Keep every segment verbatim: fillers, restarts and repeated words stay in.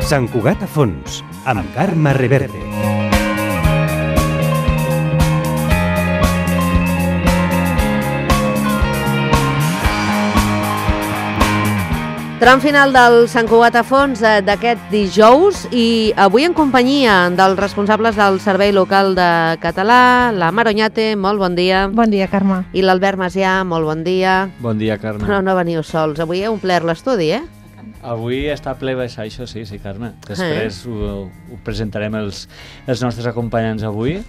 Sant Cugat a fons, amb Carme Reverte. Tram final del Sant Cugat a fons d'aquest dijous i avui en companyia dels responsables del Servei Local de Català, la Mar Oñate, molt bon dia. Bon dia, Carme. I l'Albert Macià, molt bon dia. Bon dia, Carme. Però no veniu sols, avui heu omplert l'estudi, eh? Avui està ple baixar, això sí, sí, Carme. Després eh? ho, ho presentarem els, els nostres acompanyants avui.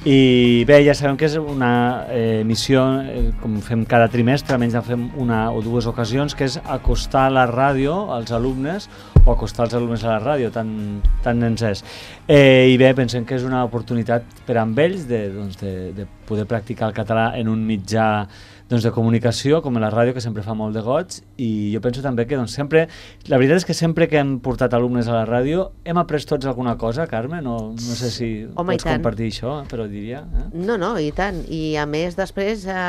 I bé, ja sabem que és una eh, missió, eh, com fem cada trimestre, almenys en fem una o dues ocasions, que és acostar la ràdio als alumnes o acostar els alumnes a la ràdio, tant, tant ens és. Eh, I bé, pensem que és una oportunitat per a ells de, doncs, de, de poder practicar el català en un mitjà doncs, de comunicació, com la ràdio, que sempre fa molt de goig, i jo penso també que doncs, sempre, la veritat és que sempre que hem portat alumnes a la ràdio hem après tots alguna cosa, Carme, no, no sé si Home, pots compartir això, però diria... Eh? No, no, i tant, i a més després eh,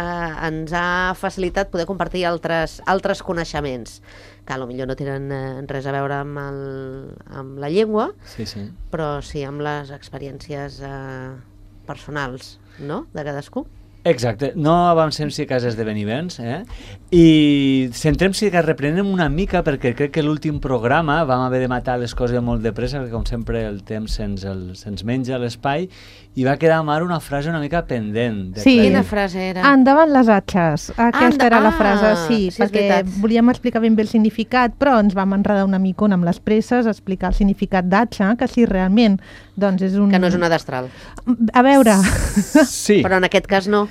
ens ha facilitat poder compartir altres, altres coneixements, que potser no tenen eh, res a veure amb, el, amb la llengua, sí, sí. però sí amb les experiències eh, personals, no?, de cadascú. Exacte, no avancem si cas esdeveniments, eh? I centrem si que reprenem una mica, perquè crec que l'últim programa vam haver de matar les coses molt de pressa, perquè com sempre el temps se'ns, el, se'ns menja l'espai, i va quedar a Mar una frase una mica pendent. De sí, quina frase era? Endavant les atxes, aquesta ah, era la frase, sí, sí perquè volíem explicar ben bé el significat, però ens vam enredar una micona amb les presses, explicar el significat d'atxa, que si realment doncs és un... Que no és una destral. A veure... Sí. Però en aquest cas no.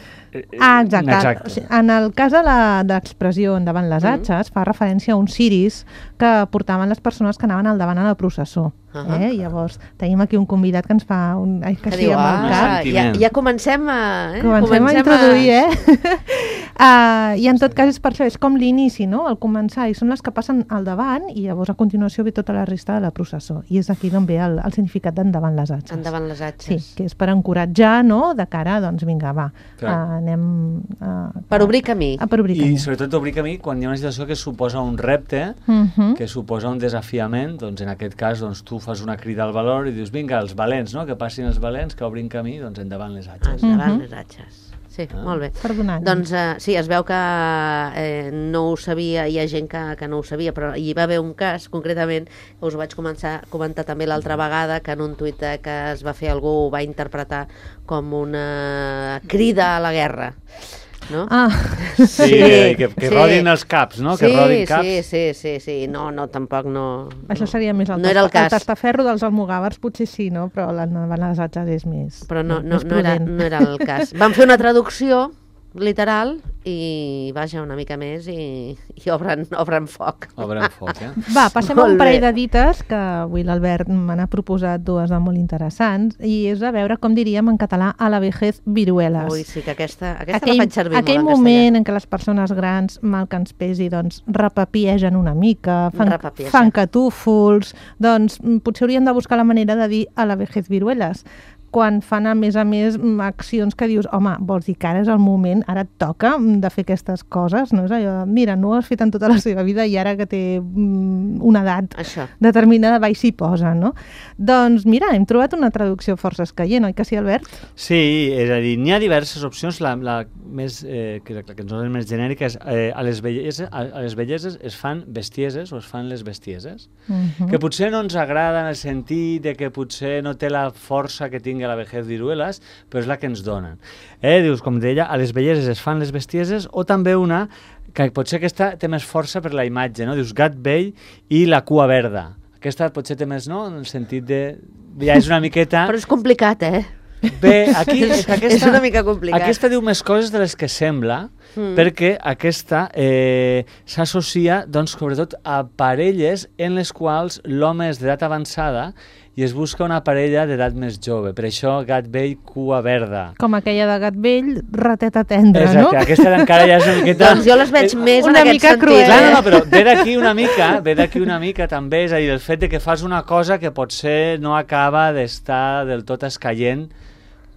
Ah, exacte. exacte. O sigui, en el cas de l'expressió endavant les atxes, mm. fa referència a uns ciris que portaven les persones que anaven al davant a la processó. Uh -huh. eh? Llavors, tenim aquí un convidat que ens fa un... Ai, que, que sí, diu, amb el cap. Ja, ja comencem a... Eh? Comencem, comencem a introduir, a... eh? uh, I en tot cas és per això, és com l'inici, no? El començar, i són les que passen al davant i llavors a continuació ve tota la resta de la processó. I és aquí d'on ve el, el significat d'endavant les atxes. Endavant les atxes. Sí, que és per encoratjar, no?, de cara, doncs vinga, va, uh, anem... Uh, per obrir camí. Uh, per obrir camí. I sobretot obrir camí quan hi ha una situació que suposa un repte, uh -huh. que suposa un desafiament, doncs en aquest cas doncs, tu fas una crida al valor i dius, vinga, els valents, no?, que passin els valents, que obrin camí, doncs endavant les atxes. Endavant uh -huh. les atxes. Sí, ah. molt bé. Perdonant. Doncs uh, sí, es veu que eh, no ho sabia, hi ha gent que, que no ho sabia, però hi va haver un cas, concretament, que us ho vaig començar a comentar també l'altra vegada, que en un tuit que es va fer algú ho va interpretar com una crida a la guerra. No? Ah. Sí, sí, que, que sí. rodin els caps, no? Sí, que rodin caps. Sí, sí, sí, sí, no, no, tampoc no... Això seria més el, no era el, cas. el tastaferro dels almogàvers, potser sí, no? Però l'endavant les atxes és més... Però no, no, més no, era, no era el cas. Vam fer una traducció literal i vaja una mica més i, i obren, obren foc. Obren foc, eh? Va, passem a un parell de dites, que avui l'Albert me n'ha proposat dues de molt interessants, i és a veure com diríem en català a la vejez viruelas. Ui, sí, que aquesta, aquesta aquell, la faig servir aquell molt en moment en què les persones grans, mal que ens pesi, doncs repapiegen una mica, fan, fan catúfols, doncs potser haurien de buscar la manera de dir a la vejez viruelas, quan fan a més a més accions que dius, home, vols dir que ara és el moment, ara et toca de fer aquestes coses, no és allò, mira, no ho has fet en tota la seva vida i ara que té una edat Això. determinada va i s'hi posa, no? Doncs mira, hem trobat una traducció força escaient, oi que sí, Albert? Sí, és a dir, n'hi ha diverses opcions, la, la més, eh, que, la que ens és més genèrica és eh, a, les belleses, a, a les belleses es fan bestieses o es fan les bestieses, Uh-huh. que potser no ens agrada en el sentit de que potser no té la força que tingui la vejez viruelas, però és la que ens donen. Eh, dius, com deia, a les belleses es fan les bestieses, o també una, que potser aquesta té més força per la imatge, no? Dius, gat vell i la cua verda. Aquesta potser té més, no?, en el sentit de... Ja és una miqueta... Però és complicat, eh? Bé, aquí és, aquesta, és una mica complicat. Aquesta diu més coses de les que sembla, mm. perquè aquesta eh, s'associa, doncs, sobretot a parelles en les quals l'home és d'edat avançada i es busca una parella d'edat més jove. Per això, gat vell, cua verda. Com aquella de gat vell, rateta tendra, Exacte, no? Exacte, aquesta encara ja és una miqueta... Doncs jo les veig és més en aquest sentit. Cruel. Clar, no, no, però ve d'aquí una mica, ve d'aquí una mica també, és a dir, el fet de que fas una cosa que potser no acaba d'estar del tot escaient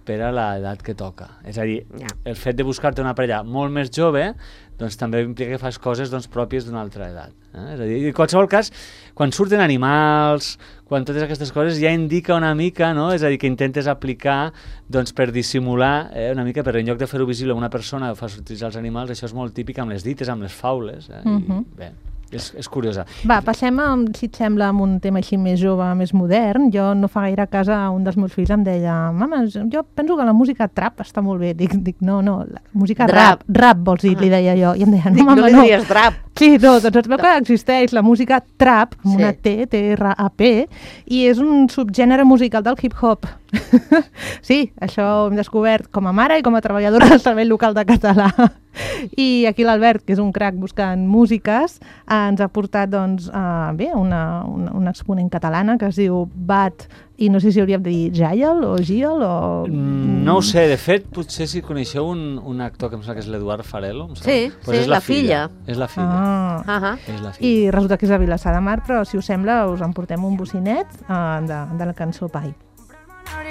per a l'edat que toca. És a dir, yeah. el fet de buscar-te una parella molt més jove doncs també implica que fas coses doncs, pròpies d'una altra edat. Eh? És a dir, en qualsevol cas, quan surten animals, quan totes aquestes coses ja indica una mica, no? És a dir, que intentes aplicar doncs, per dissimular eh, una mica, però en lloc de fer-ho visible a una persona o fa sortir els animals, això és molt típic amb les dites, amb les faules. Eh? Uh-huh. I, bé, és, és curiosa. Va, passem, a, si et sembla, amb un tema així més jove, més modern. Jo no fa gaire cas a un dels meus fills em deia, mama, jo penso que la música trap està molt bé. Dic, dic no, no, la música rap. Rap, rap vols dir, ah. li deia jo. I em deia, no, dic, mama, no. No li diries trap. Sí, no, doncs es veu que existeix la música trap, amb sí. una T, T R A P, i és un subgènere musical del hip-hop. Sí, això ho hem descobert com a mare i com a treballadora del Servei Local de Català. I aquí l'Albert, que és un crac buscant músiques, ens ha portat doncs, uh, bé, una, una, una exponent catalana que es diu Bat, i no sé si hauríem de dir Jael o Giel o... Mm, no ho sé, de fet, potser si coneixeu un, un actor que em sembla que és l'Eduard Farelo. Sí, pues sí, és la, la filla. filla. És la filla. Ah. Uh -huh. És la filla. I resulta que és a Vilassar de Mar, però si us sembla us en portem un bocinet uh, de, de la cançó Pai.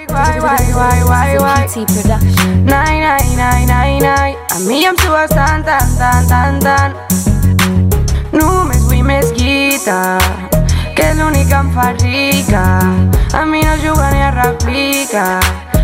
Why, why, why, why, why? Nai, nai, nai, nai, nai. A mi em sues tant, tant, tant, tant, tant. Només vull més guita, que és l'únic que em fa rica. A mi no juga ni a replica,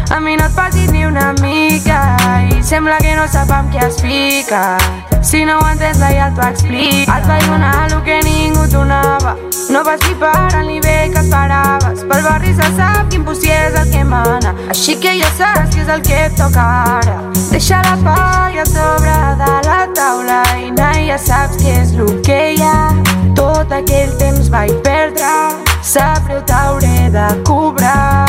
a mi no et passis ni una mica. I sembla que no sap amb què es fica. Si no ho entens, la ja t'ho explico. Et vaig donar el que ningú donava. No vas flipar al nivell que esperaves. Pel barri se sap que impossible és el que mana. Així que ja saps que és el que et toca ara. Deixa la palla a sobre de la taula i nai, ja saps que és el que hi ha. Tot aquell temps vaig perdre, sap greu, t'hauré de cobrar.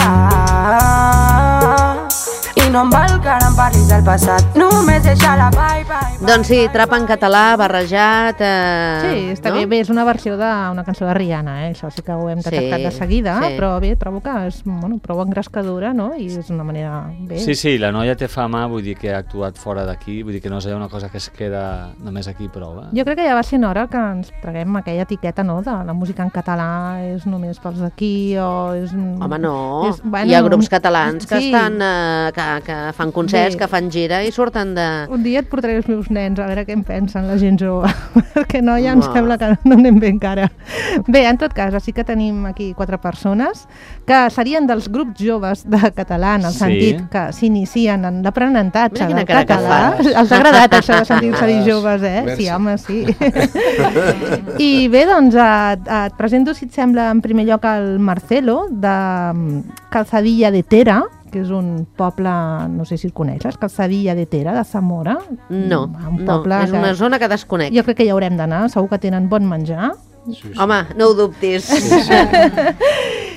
I no em val que ara em parlis del passat, només deixa la bye, bye, bye. Doncs sí, trap en català, barrejat... Eh, sí, està no? bé, bé, és una versió d'una cançó de Rihanna, eh? Això sí que ho hem detectat sí, de seguida, sí. però bé, trobo que és bueno, prou engrescadora, no? I és una manera... Bé. Sí, sí, la noia té fama, vull dir que ha actuat fora d'aquí, vull dir que no és una cosa que es queda només aquí prou. Eh? Jo crec que ja va ser hora que ens traguem aquella etiqueta, no?, de la música en català és només pels d'aquí o és... Home, no, és, bueno, hi ha grups catalans que sí. estan... Eh, que, que fan concerts, bé, que fan gira i surten de... Un dia et portaré els meus nens a veure què en pensen la gent jove, perquè no, ja em no. sembla que no anem bé encara. Bé, en tot cas, sí que tenim aquí quatre persones que serien dels grups joves de català, en el sí. sentit que s'inicien en l'aprenentatge del català. Els ha agradat això de sentir-se dir joves, eh? Merci. Sí, home, sí. I bé, doncs, et, et presento, si et sembla, en primer lloc el Marcelo, de Calzadilla de Tera, que és un poble, no sé si el coneixes, Calzadilla de Tera, de Zamora. No, un no, és una que, zona que desconec. Jo crec que hi haurem d'anar, segur que tenen bon menjar. Sí, sí. Home, no ho dubtis. Sí, sí.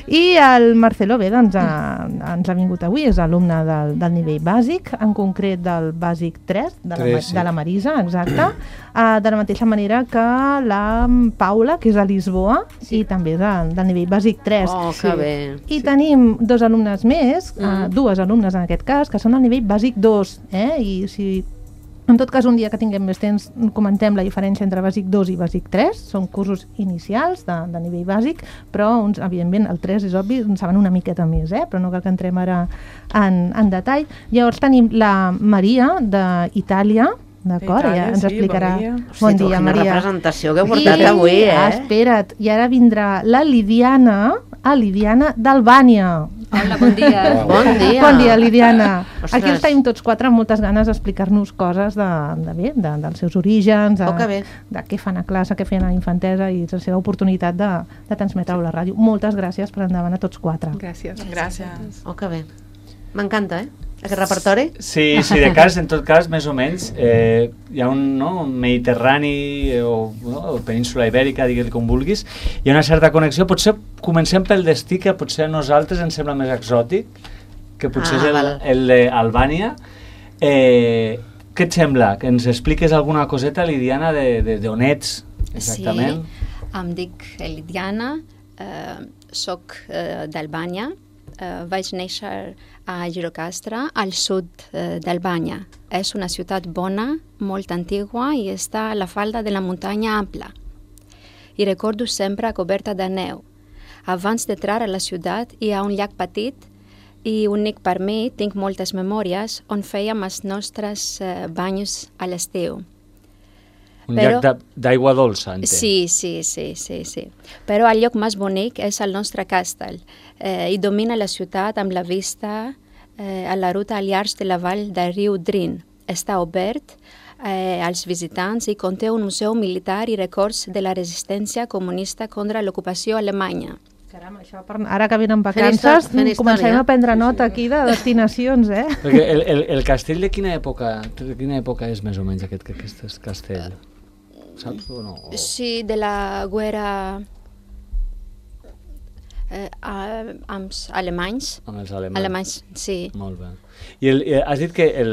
I el Marcelo, bé, doncs, a, ens ha vingut avui, és alumne del, del nivell bàsic, en concret del bàsic tres, de, tres, la, sí. de la Marisa, exacte, uh, de la mateixa manera que la Paula, que és a Lisboa, sí. i també és del, del nivell bàsic tres. Oh, que sí. bé. I sí. tenim dos alumnes més, mm. uh, dues alumnes en aquest cas, que són al nivell bàsic dos, eh? I si... En tot cas, un dia que tinguem més temps, comentem la diferència entre bàsic dos i bàsic tres. Són cursos inicials de, de nivell bàsic, però, uns, evidentment, el tres és obvi, en saben una miqueta més, eh? Però no cal que entrem ara en, en detall. Llavors tenim la Maria, d'Itàlia, d'acord? Ja ens explicarà. Bon dia, bon dia, Maria. Quina representació que heu portat I, avui, eh? Ah, espera't, i ara vindrà la Lidiana, a Lidiana d'Albània. Hola, bon dia. Bon dia. Bon dia, Lidiana. Ostres. Aquí els tenim tots quatre amb moltes ganes d'explicar-nos coses de, de bé, de, dels seus orígens, de, oh, de què fan a classe, què feien a infantesa i la seva oportunitat de, de transmetre-ho a la ràdio. Moltes gràcies per endavant a tots quatre. Gràcies. Gràcies. Oh, que bé. M'encanta, eh? Aquest repertori? Sí, sí, de cas, en tot cas, més o menys, eh, hi ha un, no, un Mediterrani eh, o, no, o península ibèrica, digues-li com vulguis, hi ha una certa connexió. Potser comencem pel destí, que potser a nosaltres ens sembla més exòtic, que potser ah, és el, el d'Albània. Eh, què et sembla? Que ens expliques alguna coseta, Lidiana, d'on ets, exactament? Sí, em dic Lidiana, eh, soc eh, d'Albània, eh, vaig néixer a Girocastre, al sud eh, d'Albània. És una ciutat bona, molt antigua i està a la falda de la muntanya ampla. I recordo sempre coberta de neu. Abans d'entrar a la ciutat hi ha un llac petit i únic per mi, tinc moltes memòries on fèiem els nostres uh, banys a l'estiu. Un Però, llac d'aigua dolça, entenc. Sí, sí, sí, sí, sí. Però el lloc més bonic és el nostre castell. Eh, I domina la ciutat amb la vista eh, a la ruta al llarg de la vall del riu Drin. Està obert eh, als visitants i conté un museu militar i records de la resistència comunista contra l'ocupació alemanya. Caram, això per... Ara que venen vacances, començarem a prendre nota aquí de destinacions, eh? Perquè el, el, el castell de quina època, de quina època és més o menys aquest, aquest castell? Saps o no? O... Sí, de la guerra eh, amb els alemanys. Amb els alemanys. Alemanys, sí. Molt bé. I el, has dit que el,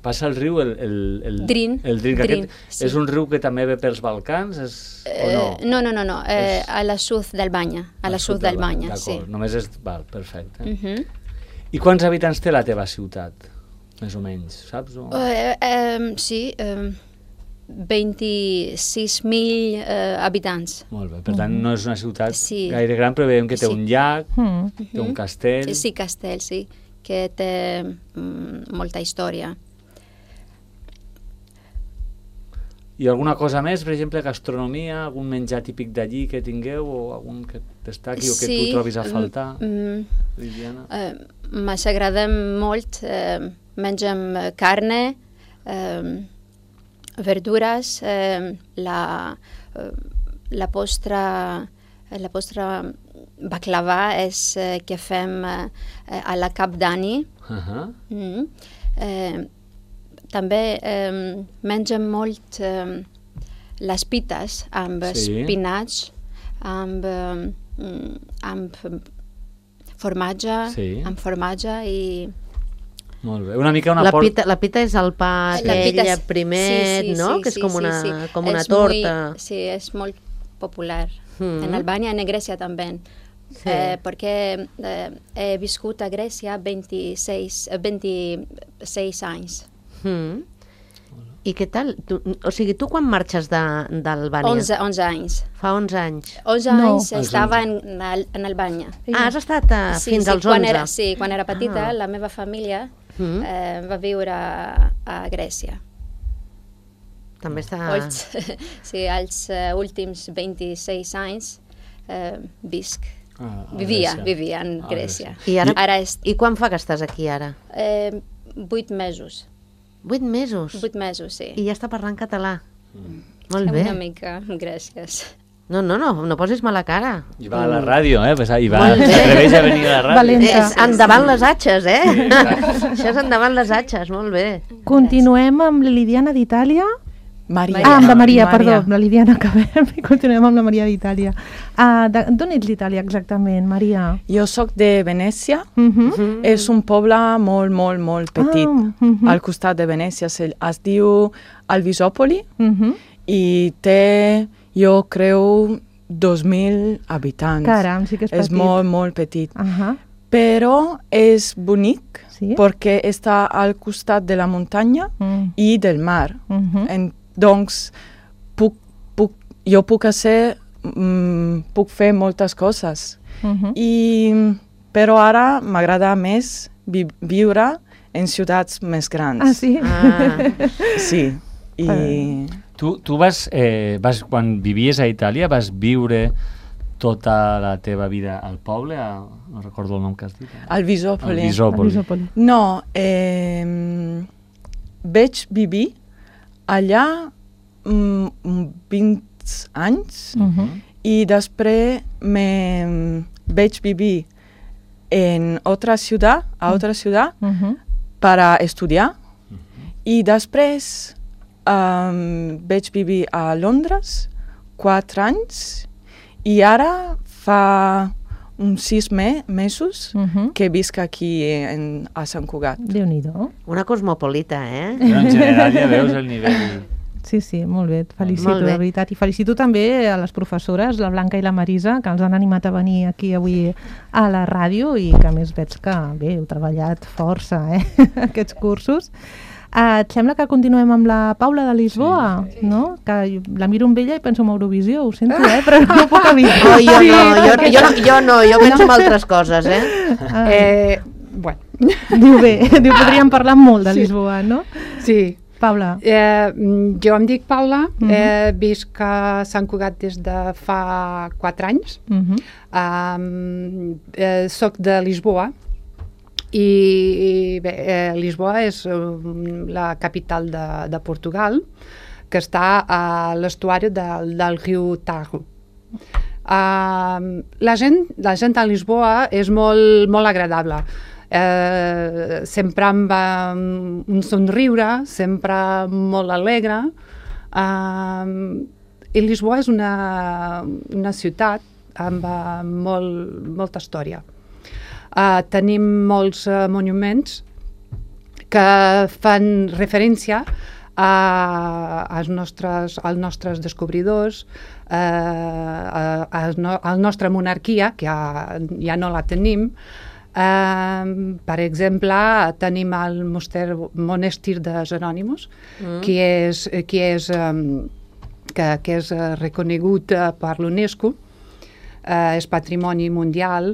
passa el riu, el... el, el Drin. El Drin, que Drin, aquest sí. És un riu que també ve pels Balcans, és, eh, o no? No, no, no, no. Eh, és... a la sud d'Albanya. A la sud d'Albanya, sí. Només és... Val, perfecte. Uh -huh. I quants habitants té la teva ciutat? Més o menys, saps? O... Eh, eh, sí, eh, vint-i-sis mil eh, habitants. Molt bé, per tant no és una ciutat sí. gaire gran, però veiem que té sí. un llac, mm. té un castell... Sí, sí, castell, sí, que té mm, molta història. I alguna cosa més, per exemple, gastronomia, algun menjar típic d'allí que tingueu, o algun que destaqui sí. o que tu trobis a faltar, mm, Lidiana? Eh, M'ha agradat molt, eh, mengem carne, eh, verdures, eh, la, eh, la postra la postra baklava és eh, que fem eh, a la Cap d'Ani. Uh-huh. Mm. Eh, també eh, mengem molt eh, les pites amb sí. espinacs, amb, eh, amb formatge, sí. amb formatge i... Molt bé. Una mica una la, por... pita, la pita és el pa aquell és... primer, sí, sí, no? Sí, que és sí, com una, sí, sí. com una és torta. Muy, sí, és molt popular. Mm. En Albània, en Grècia també. Sí. Eh, perquè eh, he viscut a Grècia vint-i-sis, vint-i-sis anys. Mm. I què tal? Tu, o sigui, tu quan marxes d'Albània? onze, onze anys. Fa onze anys. onze no. anys estava en, en Albània. Ah, has estat a, sí, fins sí, als quan onze? Era, sí, quan era petita, ah. la meva família mm. eh, va viure a, a Grècia. També està... Els, sí, els uh, últims vint-i-sis anys eh, visc. Ah, vivia, Grècia. vivia en Grècia. I, ara, ara és... I quan fa que estàs aquí ara? Eh, vuit mesos. Vuit mesos? Vuit mesos, sí. I ja està parlant català? Mm. Molt bé. Una mica, gràcies. No, no, no, no posis mala cara. I va a la ràdio, eh? Pues, i va, Molt bé. s'atreveix a venir a la ràdio. Valenta. És endavant les atxes, eh? Sí, això és endavant les atxes, molt bé. Continuem amb la Lidiana d'Itàlia. Maria. Ah, amb la Maria, Maria. perdó, amb la Lidiana acabem i continuem amb la Maria d'Itàlia. Uh, D'on ets d'Itàlia exactament, Maria? Jo sóc de Venècia. Uh -huh. Mm. És un poble molt, molt, molt petit. Ah, uh -huh. Al costat de Venècia es diu Alvisòpoli uh -huh. i té, jo creu, dos mil habitants. Caram, sí que és petit. És molt, molt petit. Uh -huh. Però és bonic sí? perquè està al costat de la muntanya mm. i del mar. Uh -huh. en, doncs, puc, puc, jo puc, ser, mm, puc fer moltes coses. Uh -huh. I, però ara m'agrada més vi viure en ciutats més grans. Ah, sí? Ah. Sí. I... Tu, tu vas, eh, vas, quan vivies a Itàlia, vas viure tota la teva vida al poble? A, no recordo el nom que has dit. Alvisòpoli. Alvisòpoli. No, eh, vaig vivir allà mm, vint anys uh -huh. i després me vaig vivir en altra ciutat, a altra ciutat, uh -huh. per a estudiar uh -huh. i després um, vaig vivir a Londres quatre anys i ara fa uns sis me mesos uh -huh. que visc aquí en, a Sant Cugat. Déu-n'hi-do. Una cosmopolita, eh? Però en general ja veus el nivell... Sí, sí, molt bé, et felicito, molt bé. de veritat. I felicito també a les professores, la Blanca i la Marisa, que els han animat a venir aquí avui a la ràdio i que a més veig que, bé, heu treballat força, eh, aquests cursos. Uh, et sembla que continuem amb la Paula de Lisboa, sí. no? Que la miro amb ella i penso en Eurovisió, ho sento, eh? Però no ho puc evitar. Oh, jo, no, jo, jo, no, jo no, jo penso en altres coses, eh? Ah. Eh, bueno. Diu bé, diu, podríem parlar molt de Lisboa, no? Sí. Paula. Eh, jo em dic Paula, uh -huh. eh, visc a Sant Cugat des de fa quatre anys. Uh -huh. um, eh, soc de Lisboa i, i bé, eh, Lisboa és um, la capital de, de Portugal, que està a l'estuari del, del riu Tajo. Uh, la, gent, la gent a Lisboa és molt, molt agradable. Eh, sempre amb um, un somriure, sempre molt alegre. Uh, I Lisboa és una, una ciutat amb uh, molt, molta història. Uh, tenim molts uh, monuments que fan referència a, als, nostres, als nostres descobridors, uh, a, a, a la nostra monarquia, que ja, ja no la tenim. Uh, per exemple, tenim el moster, monestir de Jerònimos, mm. que és, que és, um, que, que és uh, reconegut uh, per l'UNESCO, uh, és patrimoni mundial.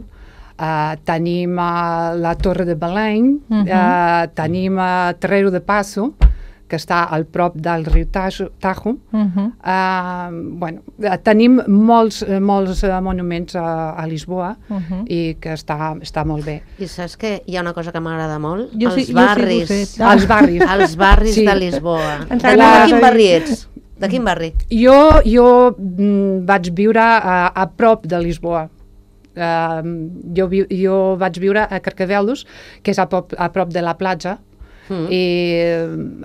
Uh, tenim uh, la Torre de Belém, uh -huh. uh, tenim uh, Terreiro de Passo, que està al prop del riu Tajo. Tajo. Uh -huh. uh, bueno, tenim molts, molts monuments a, a Lisboa uh -huh. i que està, està molt bé. I saps que hi ha una cosa que m'agrada molt? Jo els sí, barris. Jo sí, els barris. Els barris sí. de Lisboa. La... De quin barri ets? De quin barri? Jo, jo mm, vaig viure a, a prop de Lisboa. Uh, jo, vi, jo vaig viure a Carcavelos, que és a prop, a prop de la platja, mm. i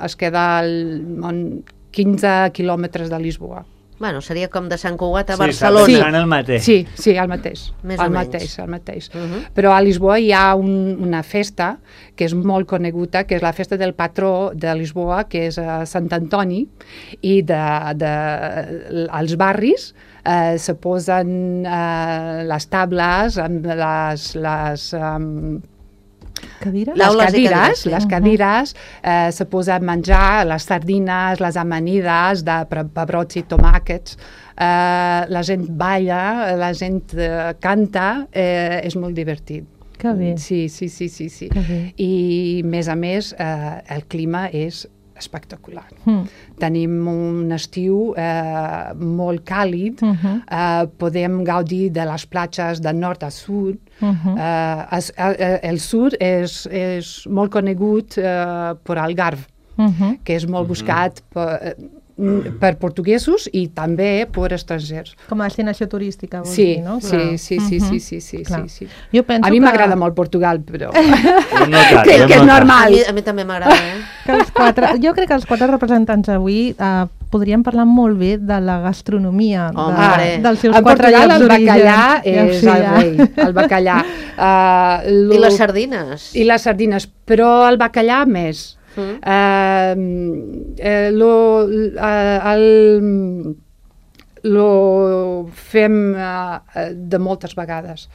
es queda al, quinze quilòmetres de Lisboa. Bueno, seria com de Sant Cugat a sí, Barcelona. Sí, el mateix. Sí, sí, el mateix. Més el o mateix, menys. el mateix. Uh -huh. Però a Lisboa hi ha un, una festa que és molt coneguda, que és la festa del patró de Lisboa, que és uh, Sant Antoni, i de, de, als barris eh, se posen eh, les tables amb les... les um, Cadires? Les Taules i cadires, cadires, sí. les cadires, eh, se posa a menjar les sardines, les amanides de pebrots i tomàquets, eh, la gent balla, la gent eh, canta, eh, és molt divertit. Que bé. Sí, sí, sí, sí, sí. Que bé. I, a més a més, eh, el clima és espectacular. Mm. Tenim un estiu eh, molt càlid, uh -huh. eh, podem gaudir de les platges de nord a sud. Uh -huh. eh, es, eh, el sud és, és molt conegut eh, per Algarve, uh -huh. que és molt buscat per, per portuguesos i també per estrangers. Com a destinació turística, vols sí, dir, no? Sí, Clar. sí, sí, sí, sí, sí, sí, sí. Jo penso a mi que... m'agrada molt Portugal, però... No tant, que, que és A normal. mi, a mi també m'agrada, eh? Que els quatre, jo crec que els quatre representants avui eh, podrien parlar molt bé de la gastronomia, Hombre. de, dels seus En quatre Portugal llocs el d'origen. bacallà Ja ho és sé, el ja. rei, el bacallà. Uh, lo... I les sardines. I les sardines, però el bacallà més. Mm. Uh, eh, lo, uh, el, lo fem uh, de moltes vegades.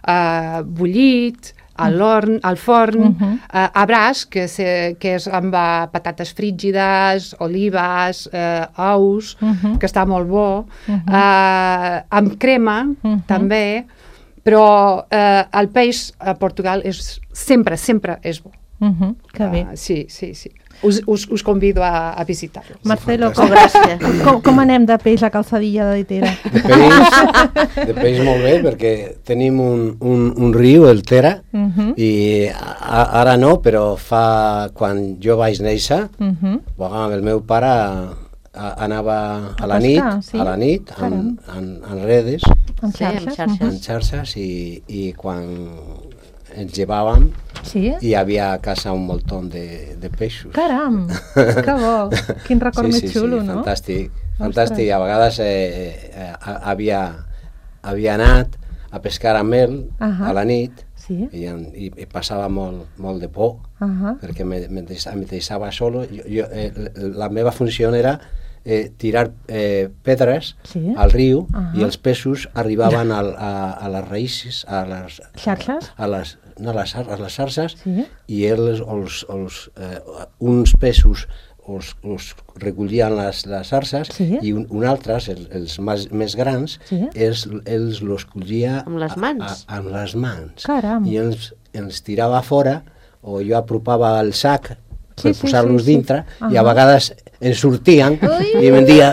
Uh, bullit, a l'horn, al forn, uh -huh. uh, a braç, que, se, que és amb uh, patates frígides, olives, uh, ous, uh -huh. que està molt bo, uh -huh. uh, amb crema, uh -huh. també, però uh, el peix a Portugal és, sempre, sempre és bo. Uh -huh. Que bé. Uh, sí, sí, sí. Us, us, us convido a, a visitar-lo. Marcelo, Sí, com, gràcies. com, com anem de peix a calçadilla de Ditera? De peix, de peix molt bé, perquè tenim un, un, un riu, el Tera, Uh -huh. i a, ara no, però fa, quan jo vaig néixer, Uh -huh. amb el meu pare a, a, anava a, A la pescar, nit, sí? a la nit, en, Caram. en, en redes, Amb Sí, amb xarxes? xarxes. en xarxes, i, i quan ens llevàvem, Sí? hi havia a casa un moltón de, de peixos. Caram, que bo. Quin record sí, més sí, xulo, sí, no? fantàstic, fantàstic. A vegades eh, eh, havia, havia anat a pescar amb ell Uh -huh. a la nit, Sí? i, i, i passava molt, molt de por, Uh -huh. perquè me, me, deixava, me deixava solo. Jo, jo, eh, la meva funció era eh, tirar eh, pedres Sí? al riu, Uh -huh. i els peixos arribaven al, a, a les raïces, a les Xarxes? a les, no, a les, a les xarxes, Sí? i ells, els, els, eh, uns peixos els, els recollien les, les xarxes, Sí? i un, un altres, els, els més, més grans, Sí? ells, ells los collia Amb les mans? A, a, amb les mans. Caram. I ells ens tirava fora, o jo apropava el sac per sí, posar-los sí, sí, dintre, sí. Uh-huh. I a vegades ens sortien i em dia,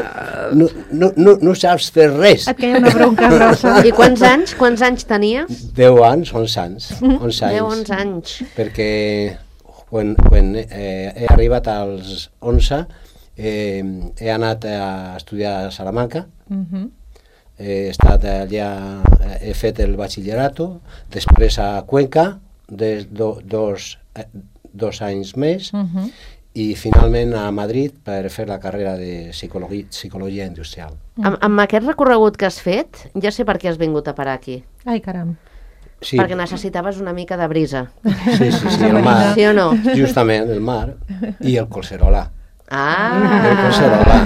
no, no, no, no saps fer res. Et queia una bronca grossa. I quants anys, quants anys tenies? Deu anys, onze anys. onze anys. Deu, onze anys. Perquè quan, quan eh, he arribat als onze, eh, he anat a estudiar a Salamanca, Uh-huh. he estat allà, he fet el batxillerato, després a Cuenca, de do, dos, eh, dos anys més, Uh-huh. i finalment a Madrid per fer la carrera de psicologia, psicologia industrial. Amb, amb aquest recorregut que has fet, ja sé per què has vingut a parar aquí. Ai, caram. Sí, Perquè necessitaves una mica de brisa. sí, sí, sí, el mar, Sí o no? justament el mar, i el Collserola. Ah! El Collserola,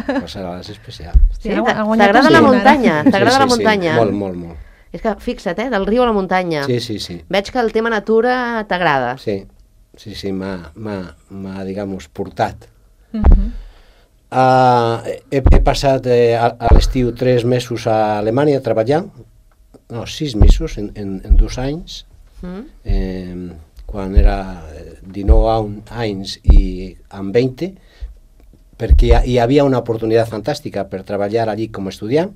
el Collserola és especial. Sí, ha gua- ha guanyat t'agrada el la sí. muntanya, t'agrada sí, la sí, muntanya. Sí, molt, molt, molt. És que fixa't, eh, del riu a la muntanya. Sí, sí, sí. Veig que el tema natura t'agrada. Sí, sí, sí, m'ha, m'ha, m'ha, digamos, portat. Uh-huh. Uh, he, he passat eh, a, a l'estiu tres mesos a Alemanya treballant, no, sis mesos en, en, en dos anys, Mm? eh, quan era dinou anys i amb vint, perquè hi, hi havia una oportunitat fantàstica per treballar allí com a estudiant.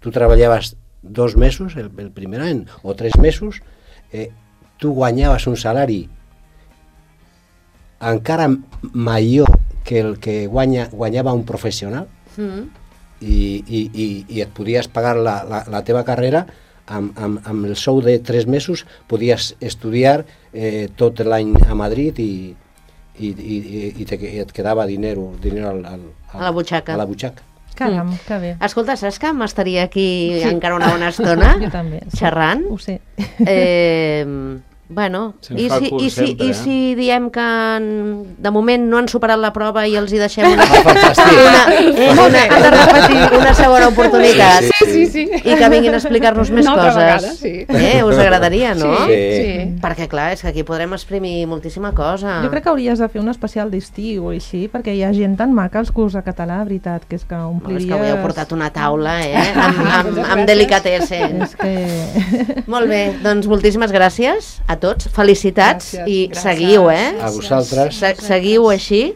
Tu treballaves dos mesos, el, el primer any, o tres mesos, eh, tu guanyaves un salari encara major que el que guanya, guanyava un professional, Mm. i, i, i, i et podies pagar la, la, la teva carrera amb, amb, amb el sou de tres mesos, podies estudiar eh, tot l'any a Madrid i, i, i, i, te, i et quedava dinero, dinero al, al, al, A la butxaca. A la butxaca. Caram, que bé. Escolta, saps que m'estaria aquí sí. encara una bona estona? Jo també. Sí. Xerrant? Ho sé. Eh, bueno, Se'n i fa si, curt i, si, sempre, i eh? si diem que en- de moment no han superat la prova i els hi deixem una, Ah, fantàstic. una, una, han de repetir una segona oportunitat Sí, Sí, sí. i que vinguin a explicar-nos més Una altra coses. vegada, sí. Eh, us agradaria, no? Sí. Sí. Perquè clar, és que aquí podrem exprimir moltíssima cosa. Jo crec que hauries de fer un especial d'estiu o així, perquè hi ha gent tan maca als curs de català, veritat, que és que Oh, és ompliries... que avui heu portat una taula, eh? Amb, amb, amb delicatessen. És que... Molt bé, doncs moltíssimes gràcies a tots, felicitats Gràcies, i gràcies. seguiu, eh? A vosaltres. Se seguiu així.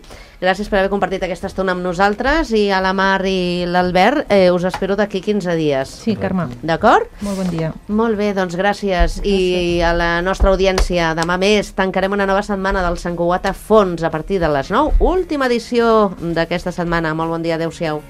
Gràcies per haver compartit aquesta estona amb nosaltres i a la Mar i l'Albert eh, us espero d'aquí quinze dies. Sí, Carme. D'acord? Molt bon dia. Molt bé, doncs gràcies. I a la nostra audiència, demà més tancarem una nova setmana del Sant Cugat a fons a partir de les nou. Última edició d'aquesta setmana. Molt bon dia, adeu-siau.